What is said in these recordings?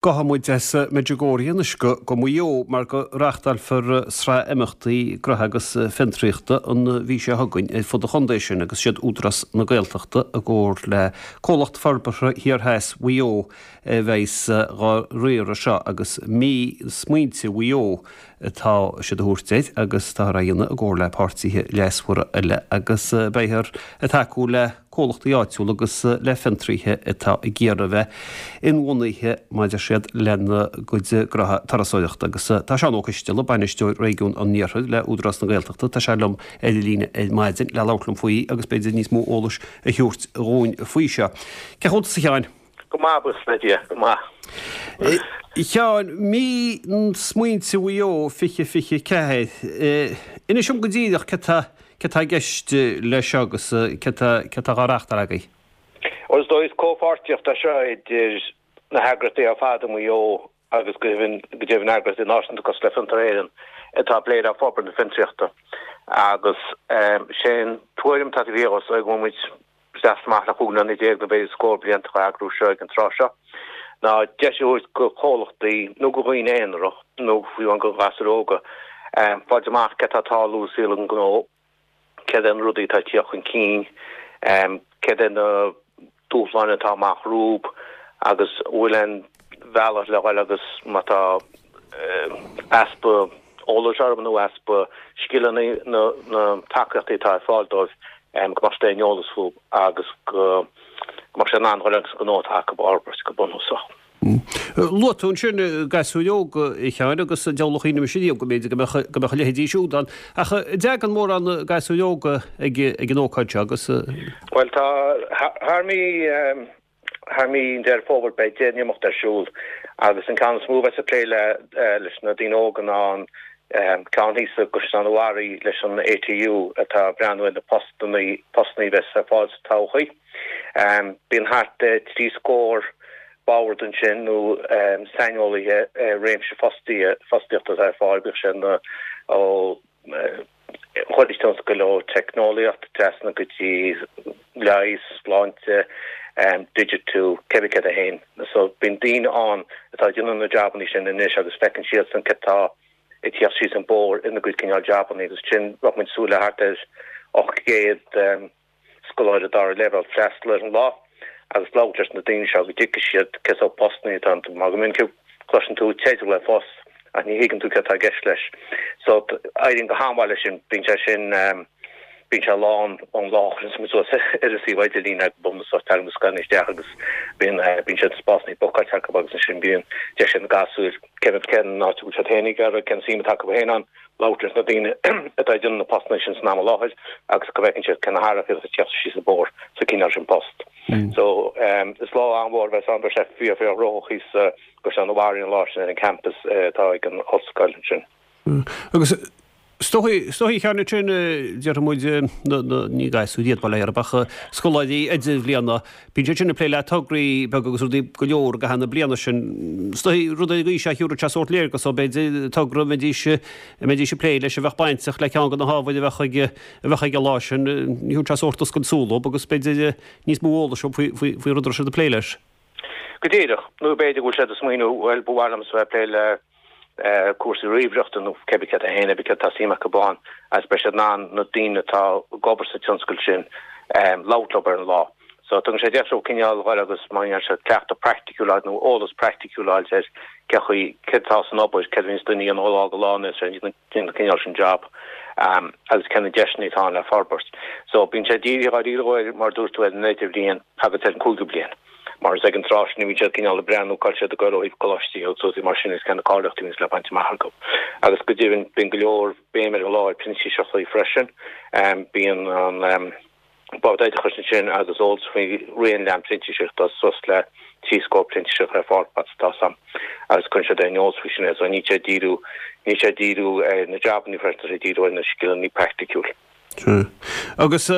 Gabhfaidh muid as Medjugorje anois go Maigh Eo mar go reáchtálfar sraith imeachtaí gnoithe agus fiontraíochta an mhí seo chugainn ar fud an chontae sin agus siad Údarás na Gaeltachta i gcomhar le Comhlacht Forbartha Thiar Theas Mhaigh Eo a bheas dhá riaradh seo agus Mí Smaointe Mhaigh Eo atá siad a thabhairt air agus táthar á dhéanamh i gcomhar le páirtithe leasmhara eile agus beifear ag tacú le comhlachtaí áitiúla agus le fiontraíthe atá ag iarraidh a bheith inbhuanaithe mar a deir siad lena gcuid gnoithe turasóireachta. Agus tá Seán Ó Coisteala, Bainisteoir Réigiún an Iarthair le Údarás na Gaeltachta, tá sé liom ar an líne ar maidin le labhairt liom faoi agus b'fhéidir níos mó eolais a thabhairt dhúinn faoi seo. Cén chaoi a bhfuil tusa a Sheáin? Go maith, buíochas le Dia, go maith. A Sheáin, Mí Smaointe Mhaigh Eo 2024, inis dom go díreach céard tá céard tá i gceist leis seo agus céard tá céard tá dhá reáchtáil agaibh? Bhuel, is dóigh is comhpháirtíocht é seo idir na heagraíochtaí ar fad i Maigh Eo agus go deimhin go deimhin eagraíochtaí náisiúnta cosúil le Fiontar Éireann atá ag plé le forbairt na fiontraíochta. Agus sé an tuairim atá taobh thiar dhó is dóigh go bhfuil muid seasta amach le 15 mbliana nó b'fhéidir scór blianta á eagrú seo ag an tráth seo, ná deis a thabhairt go chomhlachtaí nó go dhaoine aonarach nó fiú amháin go ghasúir óga fáilt amach céard tá ag tarlú i saol an ghnó, céard é na rudaí atá ag tíocht chun cinn, céard é na dúshláin atá amach rompu agus an bhfuil aon bhealach le dhul agus má tá easpa eolais orthu nó easpa scileanna na tacaíochtaí atá ar fáil dóibh go mbeadh siad ar an eolas fúthu agus go mbeadh siad in ann dhul agus an gnó atá acu a fhorbairt go bunúsach. Luaigh tú ansin gasúir óga, a Sheáin, agus deabhal a chuimhnigh mise riamh go mb'fhéidir go mbeadh go mbeadh a leithéidí siúd ann. Ach an dtagann mórán gasúir óga ag ag an ócáid seo agus. Bhuel tá thar mí Thar mí Deireadh Fómhair beidh 10 n-imeacht ar siúl agus an ceann is mó a bheas ag plé leis na daoine óga ná an ceann thíos i gCaisleán an Bharraigh leis an ATU atá ag breathnú ar na postanna postanna a bheas ar fáil sa todhchaí. Bíonn thart ar thrí scór bord ansin nó saineolaithe i réimse fostaíochta atá ar fáil, bíodh sé ó chuid tionscail ó teicneolaíocht trasna go dtí leigheas, sláinte, digitiú, cébí céard é féin. So bíonn daoine ann atá ag déanamh na jabannaí sin anois agus feiceann siadsan céard tá ag tíocht síos an bóthar ina gcuid cineál jabannaí agus sin bheadh muid ag súil le thart ar 800 scoláire dara leibhéal freastal ar an lá agus labhairt leis na daoine seo go dtuigfidh siad cén sórt postannaí atá ann. Mar go minic cloiseann tú teideal ar phost ach ní thuigeann tú céard atá i gceist leis. So éiríonn go han-mhaith leis sin. Bíonn sé sin, bíonn sé lán ón lá a chuireann muid suas ar an suíomh idirlín é go bunúsach tagann na scoileanna isteach agus bíonn bíonn siad spásanna bookáilte acu agus ansin bíonn deis ag na gasúir cén cén áit a bhfuil siad féin ag iarraidh, cén suim atá acu féin ann. labhairt leis na daoine atá ag déanamh na postanna sin san am i láthair agus go bhfeiceann siad cé na hathruithe atá ag teacht síos an bóthar sa cineál sin post. So is lá an-mhór a bheas ann, beidh sé fíor fíor ghnóthach thíos i gCaisleán an Bharraigh an lá sin ar an campus atá ag an ollscoil ansin. Agus is dóichí, is dóichí a Sheáin ansin, déarfaidh muid, na, ní gasúir iad bail ó Dhia orthu ach scoláirí idirbhliana, Bíonn siad sin ag plé le tograí beaga agus rudaí go leor i gcaitheamh na bliana sin. Is dóichí rud ar an gcaoi seo thiúrfadh sé sórt léargas dóibh, b'fhéidir, togra a mbeidís, a mbeidís ag plé leis a bheadh bainteach le ceann de na hábhair a bheadh ag, a bheadh ag an lá sin. Thiúrfadh sé sórt oscailt súl dóibh agus b'fhéidir níos mó eolais dóibh faoi, faoi, faoin rud a raibh siad ag plé leis. Go díreach. Nó b'fhéidir go bhfuil siad ag smaoineamh, bhuel, ba mhaith liomsa bheith ag plé le cúrsaí ríomhaireachta nó cébí céard é féin, cébí céard atá suim acu ann agus beidh siad in ann na daoine atá ag obair sa tionscal sin labhairt leo ar an lá. So tugann sé deis dóibh cineál dhul agus mar a déarfá cleachtadh praiticiúil a fháil nó eolas praiticiúil a fháil ar cé chaoi, céard atá san obair, céard a bhíonns duine a dhéanamh ó lá go lá nó an cineál sin job agus cé na deiseanna atá ann le forbairt. So bíonn sé dírithe dháiríre mar a dúirt tú ar an idirbhliain agus ar an cúigiú bliain. Mar is ag an tráth sin a bhíonn siad cineál ag breathnú cá bhfuil siad ag goil ó thaobh coláistí agus rudaí mar sin agus cé na cáilíochtaí a bhíonns le baint amach acu. Agus go deimhin bíonn go leor béim ar an lá ar printíseachtaí freisin. Bíonn an Bord Oideachais ansin agus eolas faoi raon leathan printíseachtaí, tá suas le 30 printíseach ar fáil fad is atá a fhios agam agus cuireann siad ar an eolas faoi sin é. So níl sé ag díriú, níl sé ag díriú ar na jabannaí freisin, tá sé ag díriú ar na scileanna praiticiúil. Sea. Agus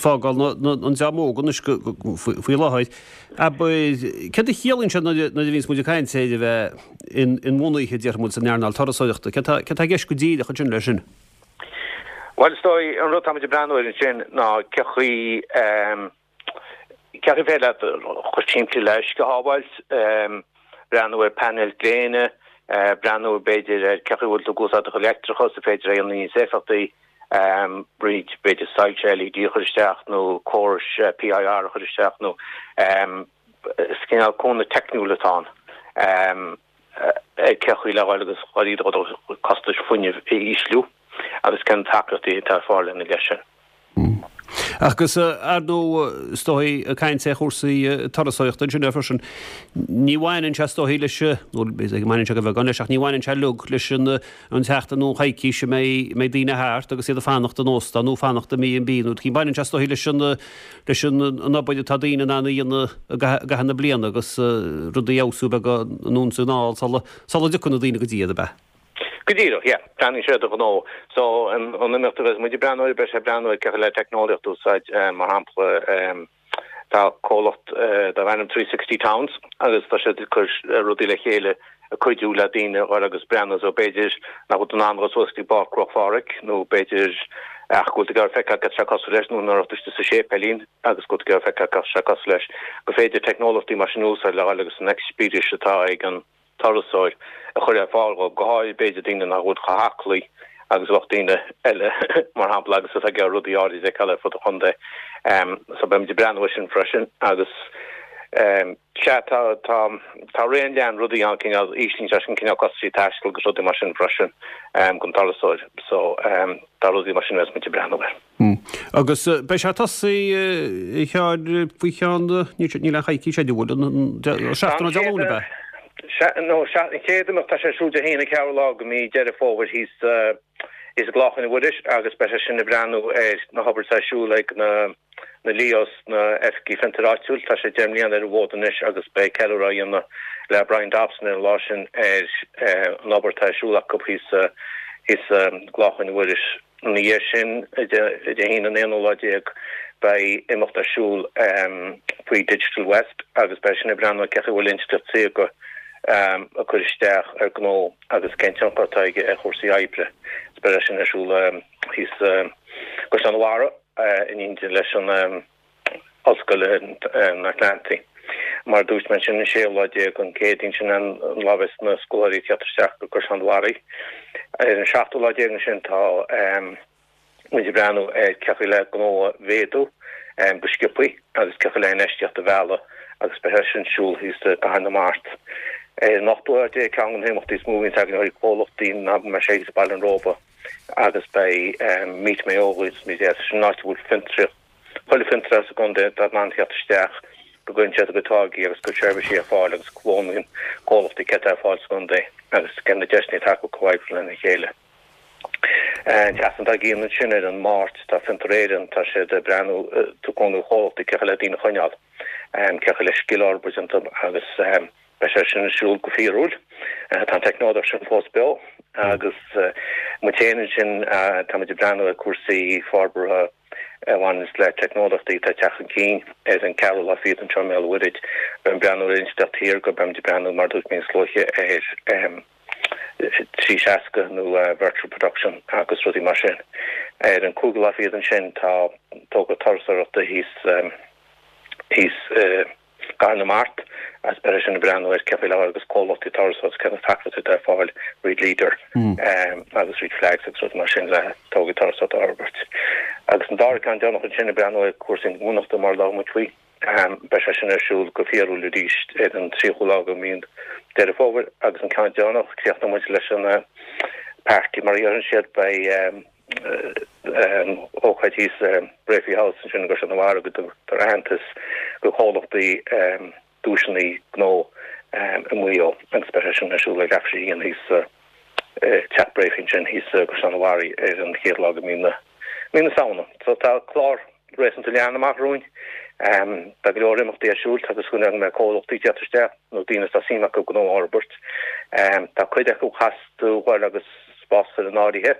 fágáil an dream óg anois faoi láthair, abair, céard a chiallaíonn sé nuair a bhíonns muid ag caint ar a bheith inbhuanaithe, déarfaidh muid, san earnáil turasóireachta? Céard tá i gceist go díreach ansin leis sin? Bhuel, is dóigh, an rud atá muid ag breathnú air ansin ná cé chaoi. Cén chaoi ar féidir leat chomh simplí le uisce a shábháilt, breathnú ar painéil gréine, breathnú b'fhéidir ar cén chaoi a bhfuil tú ag úsáid do chuid leictreachas, an féidir é a dhéanamh níos éifeachtaí, roinnt b'fhéidir soilse LED a chur isteach nó córais PIR a chur isteach nó is cineál cúnamh teicniúil atá ann ar cén chaoi le dhul agus dhul do chostais fuinnimh a ísliú agus cén tacaíochtaí atá ar fáil ina leith sin. Agus ar ndóigh, is dóigh, ag caint ar chúrsaí turasóireachta ansin freisin, ní bhaineann sé is dóigh leis, nó b'fhéidir go mbaineann sé go beagán leis, ach ní bhaineann sé uilig leis an tseachtain nó an choicís a mbeidh daoine thart agus iad ag fanacht in óstán nó fanacht i B&B nó baineann sé is dóigh leis an leis an obair atá daoine in ann a dhéanamh i gcaitheamh na bliana agus rudaí a fheabhsú beagán anonn is anall sula sula dtiocfaidh na daoine go dtí iad, ab ea? Go díreach, yeah. Breathnaíonn sé ar do ghnó. So, an imeacht a bheas muid ag breathnú air, beidh sé ag breathnú ar cén chaoi le teicneolaíocht a úsáid, mar shampla, tá comhlacht darb ainm 360 Towns agus tá siad ag cur rudaí le chéile ag cuidiú le daoine a dhul agus breathnú so b'fhéidir nach bhfuil tú in ann dul suas go dtí Páirc Chnoc Phádraig nó b'fhéidir ach go bhfuil tú ag iarraidh feiceáil cad tá sé cosúil leis nó nach raibh tú istigh sa séipéilín agus go bhfuil tú ag iarraidh feiceáil cad tá sé cosúil leis gur féidir teicneolaíochtaí mar sin a úsáid le dhul agus an eispéireas atá ag an turasóir a chur ar fáil dhóibh, go háirid b'fhéidir daoine nach bhfuil chomh haclaí agus a bheadh daoine eile, mar shampla, agus atá ag iarraidh rudaí áirid a fheiceáil ar fud an chontae. So beimid ag breathnú air sin freisin agus sea, tá, tá, tá raon leathan rudaí ann, cineál, íslíonn sé sin cineál costaisí taistil agus rudaí mar sin freisin don turasóir. So tá rudaí mar sin a bheas muid ag breathnú air. Agus beidh sé ag tosaí a Sheáin faoi cheann, níl aon choicís idir, bhfuil, an seachtain ó Dé Luain ab ea? Sea, nó sea, an chéad imeacht tá sé ar siúl Dé hAoine an ceathrú lá de mhí Deireadh Fómhair thíos thíos i gClochán an Mhuiris agus beidh sé sin ag breathnú ar na hobair atá ar siúl ag na na LEOs, na Oifigí Fiontair Áitiúil. Tá sé 10 mbliana ar an bhfód anois agus beidh ceiliúradh á dhéanamh le Brian Dobson ar an lá sin ar an obair atá ar siúl acu thíos thíos i gClochán an Mhuiris. Ina dhiaidh sin, Dé hAoine an aonú lá déag, beidh imeacht ar siúl faoi Digital West agus beidh sin ag breathnú ar cén chaoi a bhfuil intleacht saorga ag cur isteach ar gnó agus cén tionchar atá aige ar chúrsaí oibre. Beidh sin ar siúl thíos i gCaisleán an Bharraigh in éindí leis an Ollscoil an Atlantaigh. Mar a dúirt mé ansin, an séú lá déag, an Céadaoin, sin an lá a bheas na scoláirí ag teacht isteach go Caisleán an Bharraigh. Ar an seachtú lá déag ansin tá muid ag breathnú ar cén chaoi le gnó a mhéadú go sciobthaí agus cén chaoi le infheistíocht a mhealladh agus beidh sé sin ar siúl thíos i gCathair na Mart. Ar an ochtú lá déag, ceann de na himeachtaí is mó a bhíonns againn ó thaobh comhlachtaí ná go mbeidh sé thíos i Baile an Róba agus beidh Meet Mayo agus sin an áit a bhfuil fiontraíocht Chuile fhiontar sa gcontae atá in ann theacht isteach go gcuireann siad a gcuid táirgí agus a gcuid seirbhísí ar fáil agus go bhfoghlaimíonn comhlachtaí céard atá ar fáil sa gcontae agus cé na deiseanna atá acu comhoibriú lena chéile. An tseachtain dár gcionn ansin ar an Máirt tá Fiontar Éireann, tá siad ag breathnú ag cúnamh chomhlachtaí cén chaoi le daoine a choinneáil, cén chaoi le scil a fhorbairt iontu agus beidh sé sin ar siúl go fíorúil. Tá an teicneolaíocht sin fós beo agus muid féin ansin tá muid ag breathnú ar cúrsaí forbartha a bhaineanns le teicneolaíochtaí atá ag teacht chun cinn ar an ceathrú lá fichead anseo i mBéal an Mhuirthead. Beimid ag breathnú ar intleacht shaorga, beimid ag breathnú, mar a dúirt mé níos luaithe, ar 360 nó virtual production agus rudaí mar sin. Ar an cúigiú lá fichead ansin tá togra turasóireachta thíos thíos i gCathair na Mart agus beidh sé sin ag breathnú ar cén chaoi le agus comhlachtaí turasóireachta cé na tacaíochtaí atá ar fáil roinnt Leader agus roinnt Flags agus rudaí mar sin le tograí turasóireachta a fhorbairt. Agus an dara ceann deireanach ansin ag breathnú ar cúrsaí inbhuanaitheachta mar a labhair muid faoi. Beidh sé sin ar siúl go fíorúil arís ar an 30ú lá de mhí Deireadh Fómhair agus an ceann deireanach, críochnóidh muid leis an party mar a deireann siad, beidh ócáid thíos i Breaffy House ansin i gCaisleán an Bharraigh go dtugtar aitheantas do chomhlachtaí duaiseanna gnó i Maigh Eo agus beidh sé sin ar siúl ag leathuair tar éis a haon thíos i Teach Breaffy ansin thíos i gCaisleán an Bharraigh ar an chéad lá de mhí na mí na Samhna. So tá clár réasúnta leathan amach romhainn. Tá go leor imeachtaí ar siúl agus go mbeidh comhlachtaí ag teacht isteach nó daoine atá suim acu gnó a fhorbairt. Tá cuid acu caithfidh tú dhul agus spás a chur in áirithe.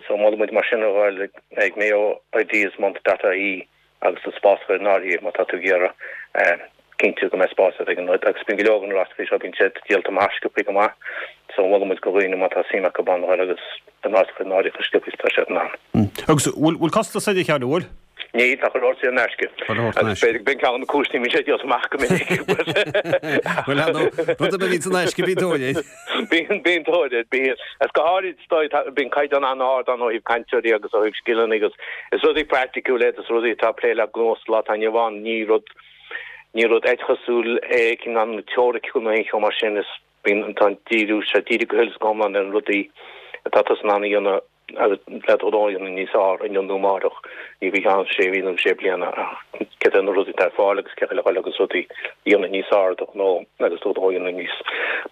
So molann muid mar sin a dhul ag mayoideasmonth.ie agus do spás a chur in áirithe má tá tú ag iarraidh cinntiú go mbeidh spás agat ag an rud. Agus bíonn go leor de na rástaí seo, bíonn siad díolta amach sciobthaí go maith. So molann muid do dhaoine má tá suim acu ann a dhul agus a n-áit a chur in áirithe chomh sciobtha is atá siad in ann. Agus bhfuil costas air a Sheáin, an bhfuil? Níl, tá chuile shórt saor in aisce. Chuile shórt in aisce. Agus b'in ceann de na cúiseanna a mbíonn sé díolta amach go minic. Bhuel, ar ndóigh, rud ar bith a bhíonn in aisce, bíonn tóir air. Bíonn, bíonn tóir air, bíonn. Agus go háirid, is dóigh, bíonn caighdeán an-ard ann ó thaobh cainteoirí agus ó thaobh scileanna agus is rudaí praiticiúla iad, is rudaí atá ag plé le gnó sa lá atá inniu ann, ní rud, ní rud oideachasúil é cineál teoiriciúil nó aon cheo mar sin, is bíonn, tá an díriú, sé díriú go huile is go hiomlán ar na rudaí atá tusa in ann a dhéanamh agus le do ghnó a dhéanamh níos fearr inniu nó amárach, ní faoi cheann sé mhí nó sé bliana ach céard é na rudaí atá ar fáil agus cé chaoi le dhul agus rudaí a dhéanamh níos fearr do ghnó agus do ghnó a dhéanamh níos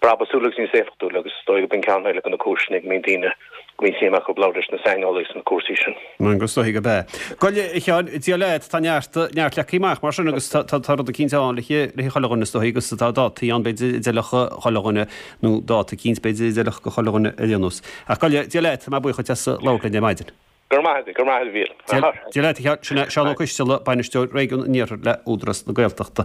brabúsúla agus níos éifeachtúla agus is dóigh gurb in ceann eile de na cúiseanna go mbíonn daoine go mbíonn suim acu labhairt leis na saineolaithe sna cúrsaí sin. Agus is dóigh gurb ea. Gabh i leith, a Sheáin, Dia leat, tá neart, neart leagtha amach mar sin agus tá, tá rud eicínt ann le le chuile dhuine is dóigh agus tá dátaí ann b'fhéidir a d'fheilfeadh chuile dhuine nó dáta eicínt b'fhéidir a d'fheilfeadh do chuile dhuine ar aon nós. Ach gabh i leith, Dia leat, tá mé buíoch duit as labhairt linn ar maidin. Go raibh maith agat, go raibh maith agat a Mhíl. Dia leat, a Sheáin, sin é Seán Ó Coisteala, Bainisteoir Réigiún an Iarthair le Údarás na Gaeltachta.